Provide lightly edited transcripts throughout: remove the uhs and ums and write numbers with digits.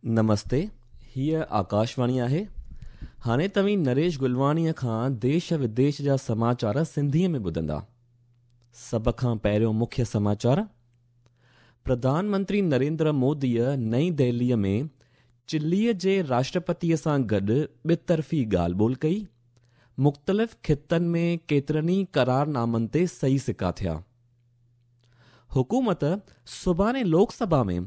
نمستي، هيء آڪاشواڻي آهي. هاڻي توهين نريش گلواڻيء کان ديش وديش جا سماچار سنڌيء ۾ ٻڌندا. سڀ کان پهريون مکيه سماچار، پرڌان منتري نريندر موديء نئين دهليء ۾ چليء جي راشٽرپتيء سان گڏ ٻطرفي ڳالهه ٻولهه ڪئي. مختلف خطن ۾ ڪيترن ئي قرارنامن تي صحيح سڪا ٿيا. حڪومت سڀاڻي لوڪ سڀا ۾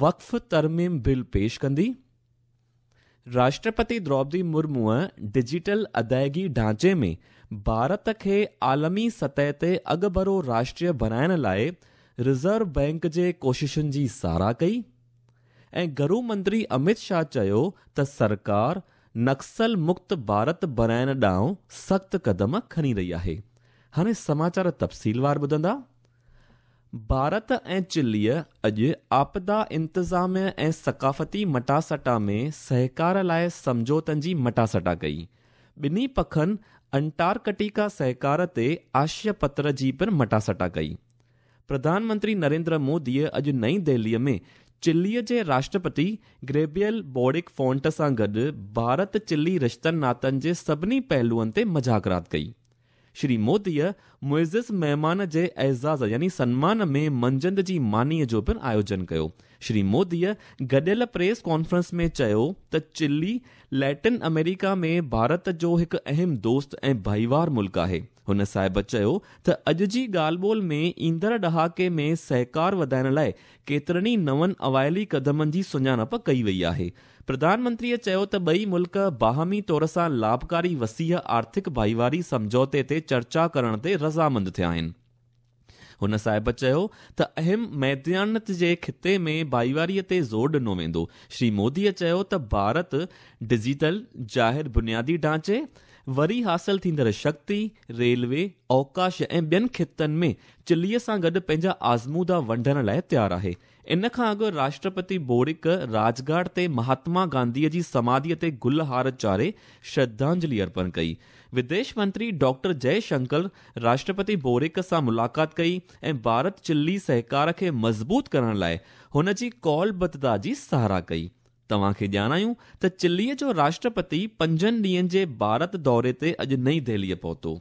وقف ترميم بل پيش ڪندي. راشٽرپتي دروپدي مرموء ڊجيٽل ادائگي ڍانچي ۾ ڀارت کي عالمي سطح تي اڳڀرو راشٽر بڻائڻ لاء رزرو بئنڪ جي ڪوششن جي ساراهه ڪئي ۽ گهرو منتري امت شاهه چيو ته سرڪار نڪسل مڪت ڀارت بڻائڻ ڏانهن سخت قدم کڻي رهي آهي. هاڻي سماچار تفصيلوار ٻڌندا. ڀارت ۽ چليء اڄ آپدا انتظاميه ۽ ثقافتي مٽاسٽا ۾ سهڪار لاء سمجهوتن جي مٽاسٽا ڪئي. ٻنهي پکن انٽارڪٽيڪا سهڪار تي آشيه پتر جي پڻ مٽاسٽا ڪئي. پرڌان منتري نريندر موديء اڄ نئين دهليء ۾ چليء جي راشٽرپتي گريبيل بورڪ فونٽ سان گڏ ڀارت چلي رشتن ناتن جي سڀني پهلوئن تي مذاڪرات ڪئي. شري موديء معزز مهمان جي اعزاز يعني سنمان ۾ منجهند جي مانيء جو پڻ آيوجن ڪيو. شري موديء گڏيل پريس ڪانفرنس ۾ چيو ته چلي ليٽن آمريڪا ۾ ڀارت جو هڪ اهم دوست ۽ ڀائيوار ملڪ آهي. هن صاحب چيو ته اڄ جي ڳالهه ٻولهه ۾ ايندڙ ڏهاڪي ۾ سهڪار وڌائڻ لاء ڪيترن ئي نون اوائلي قدمن جي سڃاڻپ ڪئي وئي آهي. پرڌان منتريء چيو ته ٻئي ملڪ باهمي طور سان لاڀڪاري وسيع آرٿڪ ڀائيواري سمجهوتي تي چرچا ڪرڻ تي رضامند ٿيا آهن. هن صاحب چيو ته اهم ميدانيت جي خطي ۾ ڀائيواري تي زور ڏنو ويندو. شري موديء چيو ته ڀارت ڊجيٽل، ظاهر بنيادي ڍانچي، وري حاصل ٿيندڙ شڪتي، ريلوي، اوڪاش ۽ ٻين خطن ۾ چليء سان گڏ پنهنجا آزمودا ونڊڻ لاء تيار آهي. ان کان اڳ راشٽرپتي بورڪ راجگهاٽ تي مهاتما گانڌيء جي سماڌيء تي گل هار چاڙهي شرڌانجلي ارپڻ ڪئي. وديش منتري ڊاڪٽر جئي شنڪر راشٽرپتي بورڪ سان ملاقات ڪئي ۽ ڀارت چلي سهڪار کي مضبوط ڪرڻ لاء هن جي قولبڌتا جي ساراهه ڪئي. توهان کي ڄاڻايون ته چليء جو راشٽرپتي پنجن ڏينهن جي ڀارت دوري تي اڄ نئين دهليء پهتو.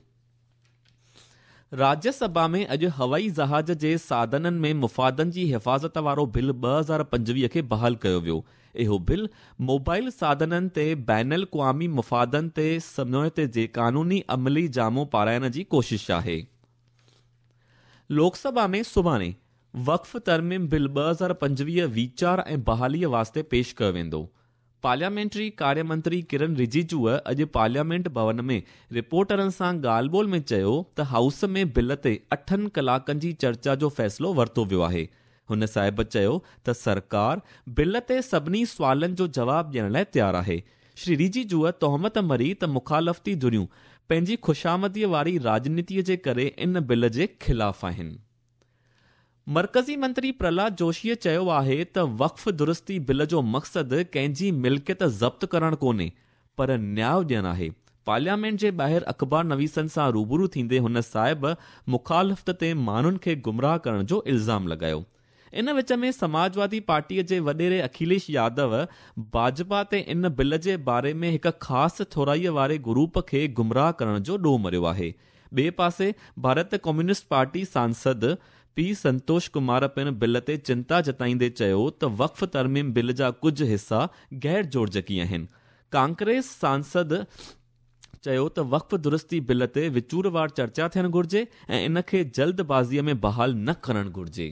راجيه سڀا ۾ اڄ هوائي جهاز جي ساڌنن ۾ مفادن جي حفاظت وارو بل 2025 کي بحال ڪيو ويو. اهو بل موبائل ساڌنن تي بين الاقوامي مفادن تي سمجهوتي جي قانوني عملي جامو پارائڻ جي ڪوشش آهي. لوڪ سڀا ۾ سڀاڻي وقف ترميم بل 2025 ويچار ۽ بحاليء واسطي پيش ڪيو ويندو. پارليامينٽري ڪاريه منتري ڪرن رجيجوء اڄ پارليامينٽ ڀون ۾ رپورٽرن سان ڳالهه ٻولهه ۾ چيو ته هائوس ۾ بل تي اٺن ڪلاڪن جي چرچا جو فيصلو ورتو ويو آهي. هن صاحب چيو ته سرڪار بل تي سڀني سوالن جو جواب ڏيڻ لاء تيار آهي. شري رجيجوء تهمت مڙهي ته مخالفتي ڌريون پنهنجي خوشامديء واري راڄنيتيء جي ڪري ان بل جي خلاف آهن. مرڪزي منتري پرهلاد جوشيء چيو آهي ته وقف درستي بل جو مقصد ڪنهن جي ملڪيت ضبط ڪرڻ ڪونهي پر نياء ڏيڻ آهي. پارليامينٽ جي ٻاهر اخبار نويسن سان روبرو ٿيندي هن صاحب مخالفت تي ماڻهن کي گمراهه ڪرڻ جو الزام لڳايو. ان وچ ۾ سماجوادي پارٽيء جي وڏيري اکيليش يادو ڀاجپا تي ان بل جي باري ۾ هڪ خاص ٿورائيء واري گروپ کي گمراهه ڪرڻ جو ڏوهه مڙهيو آهي. ٻئي پاسي Bharat communist party Sansad P سنتوش ڪمار پڻ بل تي چنتا جتائيندي چيو ته وقف ترميم بل جا ڪجهه حصا غير جوڙجڪي آهن. ڪانگريس سانسد چيو ته وقف درستي بل تي وچوروار چرچا ٿيڻ گهرجي ۽ ان کي جلد بازيء ۾ بحال نه ڪرڻ گهرجي.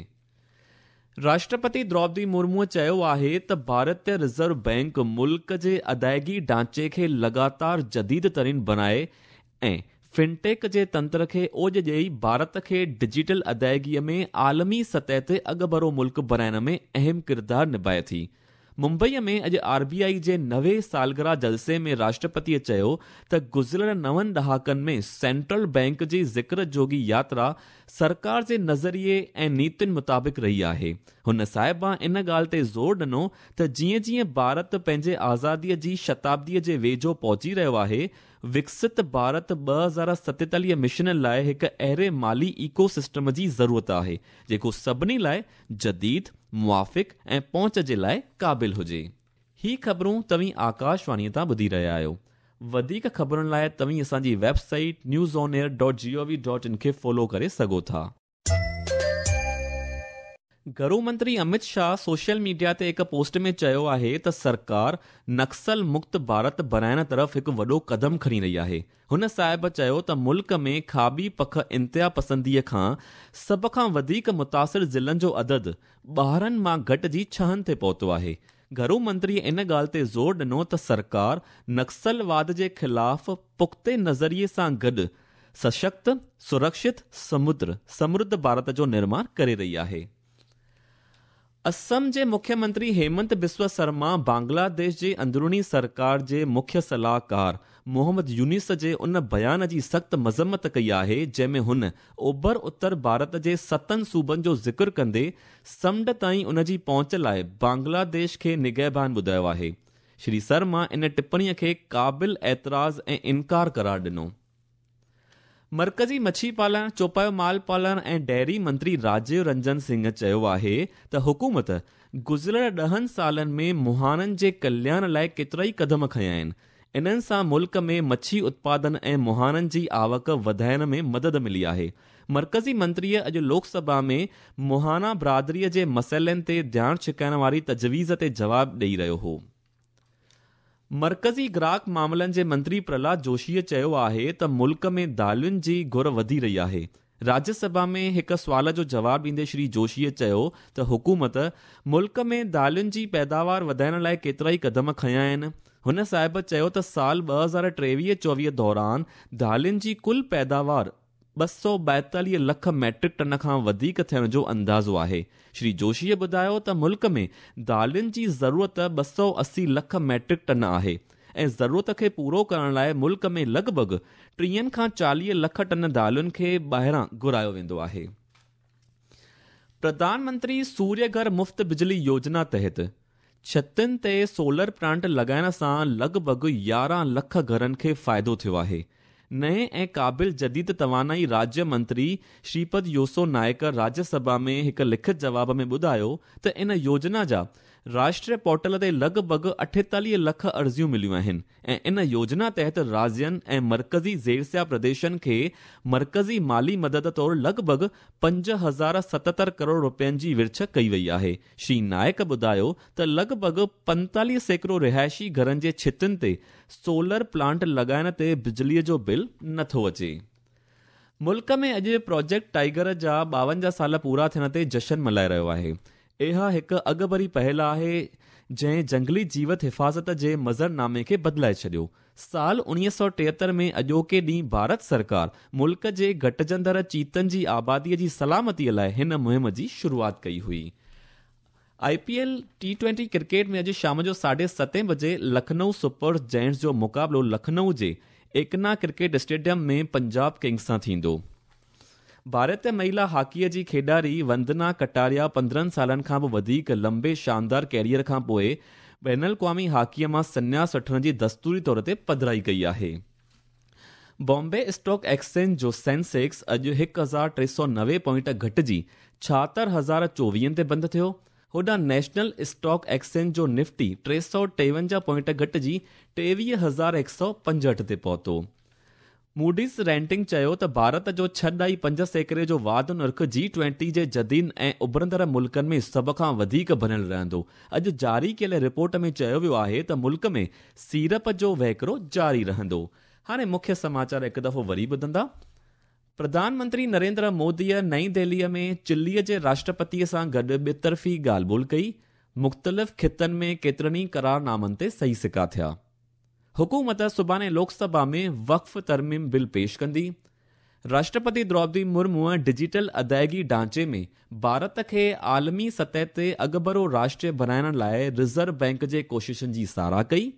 راشٽرپتي دروپدي مرموء چيو آهي ته ڀارتيه رزرو بئنڪ ملڪ جي ادائگي ڍانچي کي لڳاتار جديد ترين بڻائي ۽ فنٽيڪ جي تنتر کي اوڄ ڏئي ڀارت کي ڊجيٽل ادائگيء ۾ عالمي سطح تي اڳڀرو ملڪ بڻائڻ ۾ اهم ڪردار نڀائي ٿي. ممبئيء ۾ اڄ آر بي آء جي 90 سالگرهه جلسي ۾ راشٽرپتيء چيو ته گذريل نون ڏهاڪن ۾ سينٽرل بئنڪ جي ذڪر جوڳي ياترا سرڪار جي نظريي ۽ نيتين مطابق رهي آهي. هن صاحبان ان ڳالهه تي زور ڏنو ته جيئن جيئن ڀارت پنهنجي آزاديء جي شتابديء جي ويجهو پهچي رهيو آهي، وڪست ڀارت 2047 مشن لاء هڪ اهڙي مالي ايڪو سسٽم جي ضرورت آهي، جيڪو سڀني لاء جديد، موافق ۽ پهچ جي لاء قابل هجي. هي خبرون توهين آڪاشواڻيء تان ٻڌي رهيا آهيو. وڌيڪ خبرن لاء توهين اسان جي website news on air dot G O V dot in کي فالو ڪري سگهو ٿا. گهرو منتري امت شاهه سوشل ميڊيا تي هڪ پوسٽ ۾ چيو آهي ته سرڪار نڪسل مڪت ڀارت بڻائڻ طرف هڪ وڏو قدم کڻي رهي آهي. هن صاحب چيو ته ملڪ ۾ کاٻي پک انتها پسنديء کان سڀ کان وڌيڪ متاثر ضلعن جو عدد 12 مان گهٽجي ڇهن تي پهتو آهي. گهرو منتري ان ڳالهه تي زور ڏنو ته سرڪار نڪسل واد جي خلاف پختي نظريي سان گڏ سشڪت، سرڪشت، سمدر، سمرڌ ڀارت جو نرماڻ ڪري رهي آهي. اسم جي مکيه منتري هيمنت بسوا سرما بنگلاديش جي اندروني سرڪار جي مکيه صلاحڪار محمد يونس جي ان بيان جي سخت مذمت ڪئي آهي جنهن ۾ هن اوڀر اتر ڀارت جي ستن صوبن جو ذڪر ڪندي سمنڊ تائين ان جي پهچ لاء بنگلاديش کي نگهبان ٻڌايو آهي. شري سرما ان ٽپڻي کي قابل اعتراض ۽ انڪار قرار ڏنو. مرڪزي مڇي پالڻ، چوپايو مال پالڻ ۽ ڊيري منتري راجيو رنجن سنگهه چيو آهي ته حڪومت گذريل 10 سالن ۾ مهاڻن جي ڪلياڻ لاء ڪيترائي قدم کنيا آهن. انهن سان ملڪ ۾ مڇي اتپادن ۽ مهاڻن جي آوڪ وڌائڻ ۾ مدد ملي آهي. مرڪزي منتريء اڄ لوڪ سڀا ۾ مهاڻا برادريء جي مسئلن تي ڌيان ڇڪائڻ واري تجويز تي جواب ڏئي رهيو هو. مرڪزي گراهڪ معاملن جي منتري پرهلاد جوشيء چيو آهي ته ملڪ ۾ دالين جي گهر وڌي رهي آهي. راجيه سڀا ۾ هڪ سوال جو جواب ڏيندي شري جوشيء چيو ته حڪومت ملڪ ۾ دالين جي پيداوار وڌائڻ لاء ڪيترائي قدم کنيا آهن. هن صاحب چيو ته سال 2023-24 دوران دالين جي ڪل پيداوار 242 لک ميٽرڪ ٽن کان وڌيڪ ٿيڻ جو اندازو آهي. شري جوشيء ٻڌايو ته ملڪ ۾ دالين جي ضرورت 280 لک ميٽرڪ ٽن آهي ۽ ضرورت کي پورو ڪرڻ لاء ملڪ ۾ لڳ ڀڳ 30 کان 40 لک ٽن دالين کي ٻاهران گهرايو ويندو آهي. پرڌان منتري سوريه گهر مفت بجلي يوجنا تحت ڇتن تي سولر پلانٽ لڳائڻ سان لڳ ڀڳ 11 لک گهرن کي فائدو ٿيو آهي. نئين ۽ قابل جديد توانائي راجيه منتري شريپد يوسو نائڪ راجيه سڀا ۾ هڪ لکت جواب ۾ ٻڌايو ته ان يوجنا جا راشٽريه پورٽل تي لڳ ڀڳ 48 لک عرضيون مليون آهن ۽ ان يوجنا تحت راجين ۽ مرڪزي زيرسيا پرديشن کي مرڪزي مالي مدد طور لڳ ڀڳ 5077 ڪروڙ رپين جي ورڇ ڪئي وئي آهي. شري نائڪ ٻڌايو ته لڳ ڀڳ 45% رهائشي گهرن جي ڇتن تي سولر پلانٽ لڳائڻ تي بجليء جو بل نٿو اچي. ملڪ ۾ اڄ پروجيڪٽ ٽائيگر جا 52 سال پورا ٿيڻ تي جشن ملهائي رهيو آهي. اها هڪ اڳڀري پهل آهي جنهن جنگلي جيوت حفاظت جي مظهرنامي کي بدلائي ڇڏيو. سال 1973 ۾ اڄوڪي ڏينهن ڀارت سرڪار ملڪ جي گهٽجندڙ چيتن جي آبادي جي سلامتي لاء هن مهم جي شروعات ڪئي هئي. I P L T twenty cricket ۾ اڄ شام جو 7:30 بجي لکنؤ سپر جائنٽس جو مقابلو لکنؤ جي ايڪنا ڪرڪيٽ اسٽيڊيم ۾ پنجاب ڪنگز سان ٿيندو. ڀارتي مهيلا هاڪيء جي کيڏاري وندنا ڪٽاريا 15 سالن کان به وڌيڪ لمبي شاندار ڪيريئر کان پوء بين الاقوامي هاڪيء مان سنياس وٺڻ جي دستوري طور تي پڌرائي ڪئي آهي. بامبي اسٽاڪ ايڪسچينج جو سينسيڪس اڄ 1390 پوائنٽ گهٽجي 76,024 تي بند ٿيو. هوڏانهن نيشنل اسٽاڪ ايڪسچينج جو نفٽي 353 پوائنٽ گهٽجي 23,165 تي پهتو. موڊيز ريٽنگ چيو ته ڀارت جو 6.5% جو واڌ نرخ جي ٽوئنٽي جي جديد ۽ اڀرندڙ ملڪن ۾ سڀ کان وڌيڪ بڻيل رهندو. اڄ جاري ڪيل رپورٽ ۾ چيو ويو آهي ته ملڪ ۾ سيڙپ جو وهڪرو جاري رهندو. هاڻي مکيه سماچار هڪ دفعو وري ٻڌندا. پرڌان منتري نريندر موديء نئين دهليء ۾ چليء جي راشٽرپتيء سان گڏ ٻطرفي ڳالهه ٻولهه ڪئي. مختلف خطن ۾ ڪيترن ئي قرارنامن تي صحيح سڪا ٿيا. حڪومت سڀاڻي لوڪ سڀا ۾ وقف ترميم بل پيش ڪندي. راشٽرپتي دروپدي مرموء ڊجيٽل ادائگي ڍانچي ۾ ڀارت کي عالمي سطح تي اڳڀرو راشٽر بڻائڻ لاء رزرو بئنڪ جي ڪوششن جي ساراهه ڪئي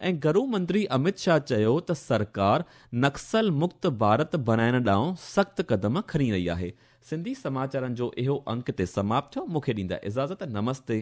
۽ گهرو منتري امت شاهه چيو ته سرڪار نڪسل مڪت ڀارت بڻائڻ ڏانهن سخت قدم کڻي رهي آهي. سنڌي سماچارن جو اهو انڪ هتي سماپت ٿيو. مون کي ڏيندا اجازت. نمستي.